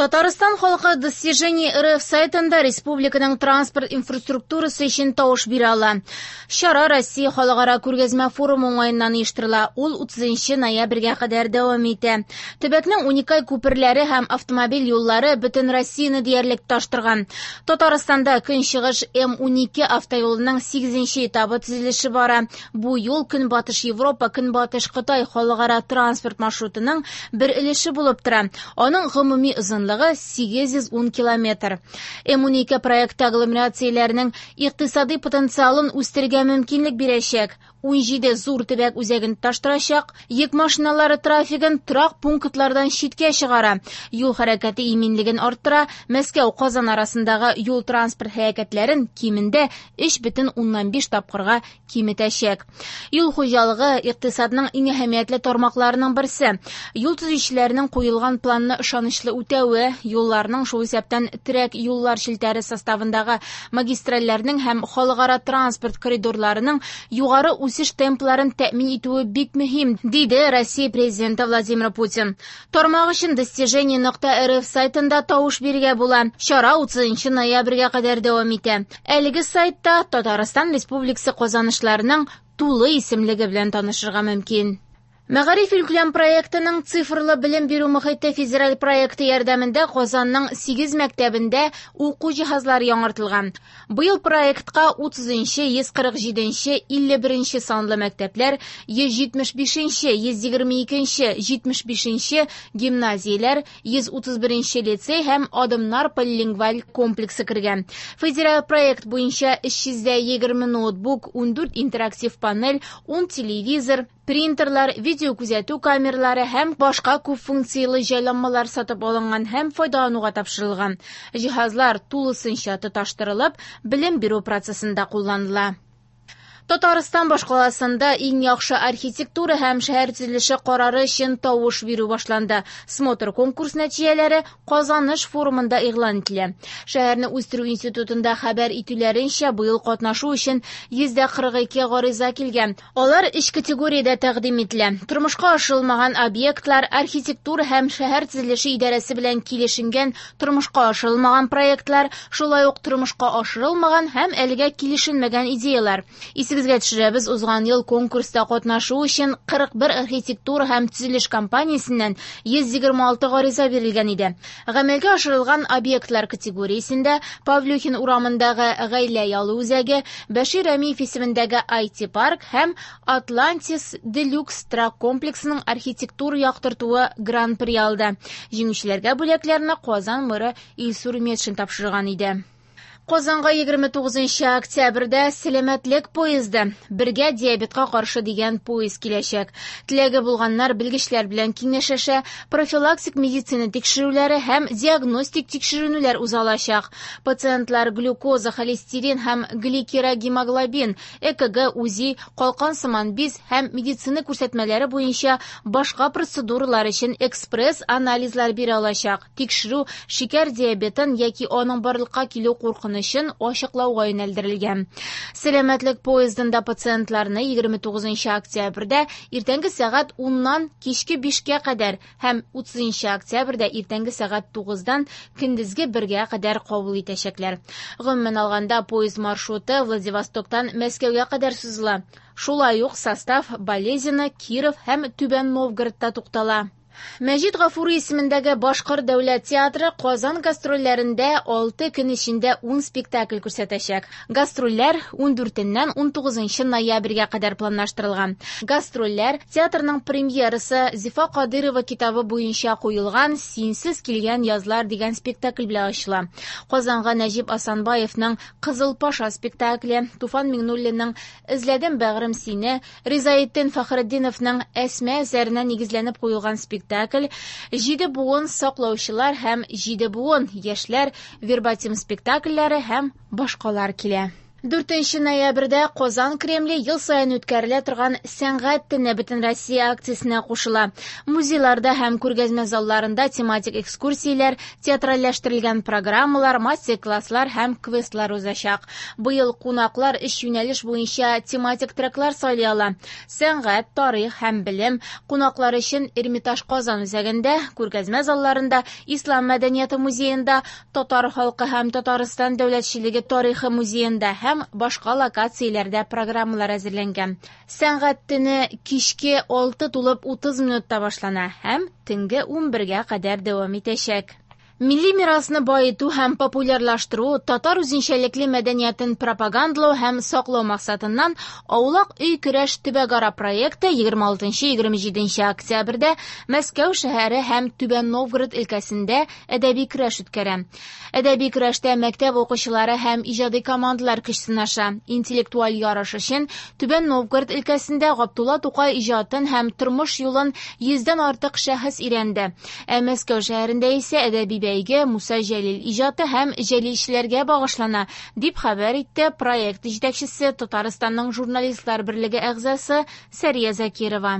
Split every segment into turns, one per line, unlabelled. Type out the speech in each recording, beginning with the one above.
Татарстан халкы Достижение РФ сайтында республиканың транспорт инфраструктурасы өчен тавыш бирә ала. Чара Россия халыкара күргәзмә форумы уңаеннан оештырыла. Ул 30 ноябрьгә кадәр дәвам итә. Төбәкнең уникаль күперләре һәм автомобиль юллары бөтен Россияне диярлек тоташтырган. Татарстанда Көнчыгыш М12 автоюлының 8 этабы төзелеше бара. Бу юл Көнбатыш Европа, Көнбатыш Кытай халыкара транспорт маршрутының бер өлеше булып тора. Аның гомуми озынлыгы 810 километр. М12 проекты агломерацияләренең икътисади потенциалын үстерергә мөмкинлек бирәчәк. 17 зур төбәк үзәген тоташтырачак, йөк машиналары трафигын торак пунктлардан читкә чыгара, юл хәрәкәте иминлеген арттыра, Мәскәү-Казан арасындагы юл-транспорт һәлакәтләрен кимендә 3,5 тапкырга киметәчәк. Юл хуҗалыгы икътисадның иң әһәмиятле тармакларының берсе. Юл төзүчеләренең куелган планны ышанычлы үтәве, юлларның, шул исәптән терәк юллар челтәре составындагы магистральләрнең һәм халыкара транспорт коридорларының югары үсеш темпларын тәэмин итүе бик мөһим, диде Россия президенты Владимир Путин. Тармак өчен достижение.рф сайтында тавыш бирергә була. Чара 30 ноябрьгә кадәр дәвам итә. Әлеге сайтта Татарстан Республикасы казанышларының тулы исемлеге белән танышырга мөмкин. Мәгариф илкүләм проектының цифрлы белем бирү мохите федераль проекты ярдәмендә Казанның 8 мәктәбендә уку җиһазлары яңартылган. Быел проектка 30-нчы, 147-нче, 51-нче санлы мәктәпләр, 175-нче, 122-нче, 75-нче гимназияләр, 131-нче лицей һәм Адымнар полилингваль комплексы кергән. Федераль проект буенча 320 ноутбук, 14 интерактив панель, 10 телевизор, принтерлар, видеокүзәтү камералары һәм башка күп функцияле җайланмалар сатып алынган һәм файдалануга тапшырылган. Җиһазлар тулысынча тоташтырылып, белем бирү процессында кулланыла. Татарстан башкаласында иң яхшы архитектура һәм шәһәр төзелеше карары өчен тавыш бирү башланды. Смотр конкурс нәтиҗәләре Казаныш форумында игълан ителә. Шәһәрне үстерү институтында хәбәр итүләренчә, быел катнашу өчен 142 гариза килгән. Алар өч категориядә тәкъдим ителә. Тормышка ашырылмаган объектлар, архитектура һәм шәһәр төзелеше идарәсе белән килешенгән тормышка ашырылмаган проектлар, шулай ук тормышка ашырылмаган һәм әлегә килешенмәгән идеялар. Исегезгә төшерәбез, узган ел конкурста катнашу өчен 41 архитектура һәм төзелеш компаниясеннән 126 гариза бирелгән иде. Гамәлгә ашырылган объектлар категориясендә Павлюхин урамындагы гаилә ялы үзәге, Бәшир Рәмиев исемендәге IT-парк һәм Атлантис Делюкс торак комплексының архитектура яктыртуы гран-при алды. Җиңүчеләргә бүләкләрне Казан мэры Илсур Метшин тапшырган иде. Казанга 29 октябрьдә сәламәтлек поезды бергә диабетка каршы дигән поезд киләчәк. Теләге булганнар белгечләр белән киңәшләшә, профилактик медицина тикшерүләре һәм диагностик тикшеренүләр уза алачак. Пациентлар глюкоза, холестерин һәм гликерогемоглобин, ЭКГ, УЗИ, калкан сыман биз һәм медицина күрсәтмәләре буенча башка процедуралар өчен экспресс-анализлар бирә алачак. Тикшерү шикәр диабетын яки аның барлыкка килү куркынычын ачыклауга юнәлдерелгән. Сәламәтлек поездында пациентларны 29 октябрьдә иртәнге сәгать 10-нан кичке 5-кә кадәр һәм 30 октябрьдә иртәнге сәгать 9-дан көндезге 1-гә кадәр кабул итәчәкләр. Гомумән алганда, поезд маршруты Владивостоктан Мәскәүгә кадәр сузыла. Шулай ук состав Балезино, Киров һәм Түбән Новгородта туктала. Мәҗит Гафури исемендәге Башкорт дәүләт театры Казан гастрольләрендә 6 көн эчендә 10 спектакль күрсәтәчәк. Гастрольләр 14-ннән 19 ноябрьгә кадәр планлаштырылган. Гастрольләр театрның премьерасы Зифа Кадырова китабы буенча куелган Синсез килгән язлар дигән спектакль белән ачыла. Казанга Нәҗип Асанбаевның Кызыл Паша спектакле, Туфан Миңнуллинның Эзләдем бәгърем сине, Ризаэддин Фәхретдиновның Әсмә әсәренә нигезләнеп куелган спектакль, Җиде буын саклаучылар һәм Җиде буын яшьләр вербатим спектакльләре һәм башкалар килә. 4 ноябрьдә Казан Кремле ел саен үткәрелә торган Сәнгать төне Бөтенроссия акциясенә кушыла. Музейларда һәм күргәзмә залларында тематик экскурсияләр, театральләштерелгән программалар, мастер-класслар һәм квестлар узачак. Быел кунаклар өч юнәлеш буенча тематик треклар сайлый ала: сәнгать, тарих һәм белем. Кунаклар өчен Эрмитаж Казан үзәгендә, күргәзмә залларында, Ислам мәдәнияте музеенда, Татар халкы һәм Татарстан дәүләтчелеге тарихы музеенда һәм башка локацияләрдә программалар әзерләнгән. Сәнгать төне кичке 6:30 минутта башлана һәм төнге 11-гә кадәр дәвам итәчәк. Милли мирасны баету һәм популярлаштыру, татар үзенчәлекле мәдәниятен пропагандалау һәм саклау максатыннан Аулак өй көрәш төбәкара проекты 26-27 октябрьдә Мәскәү шәһәре һәм Түбән Новгород өлкәсендә әдәби көрәш үткәрә. Әдәби көрәштә мәктәп укучылары һәм иҗади командалар көч сынаша. Интеллектуаль ярыш өчен Түбән Новгород өлкәсендә Габдулла Тукай иҗатын һәм тормыш юлын 100дән артык шәхес өйрәнде. Ә Мәскәү шәһәрендә исә әдәби бәйге Муса Җәлил иҗаты һәм җәлилчеләргә багышлана, дип хәбәр итте проект җитәкчесе Татарстанның журналистлар берлеге әгъзасы Сәрия Закирова.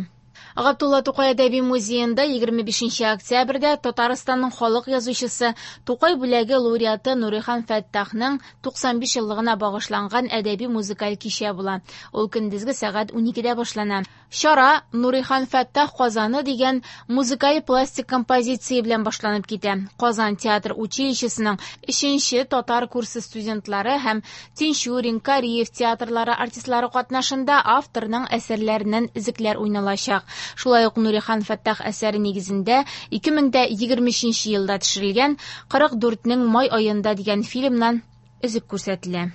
Габдулла Тукай әдәби музеенда 25 октябрьдә Татарстанның халык язучысы, Тукай бүләге лауреаты Нурихан Фәттахның 95 еллыгына багышланган әдәби музыкаль кичә була. Ул көндезге сәгать 12дә башлана. Чара Нурихан Фәттах Казаны дигән музыкаль пластик композиция белән башланып китә. Казан театр училищесының 3нче татар курсы студентлары һәм Тинчурин, Кариев театрлары артистлары катнашында авторның әсәрләреннән өзекләр уйналачак. Шулай ук Нурихан Фәттах әсәре нигезендә 2023 елда төшерелгән 44-нең май аенда дигән фильмнан өзек күрсәтелә.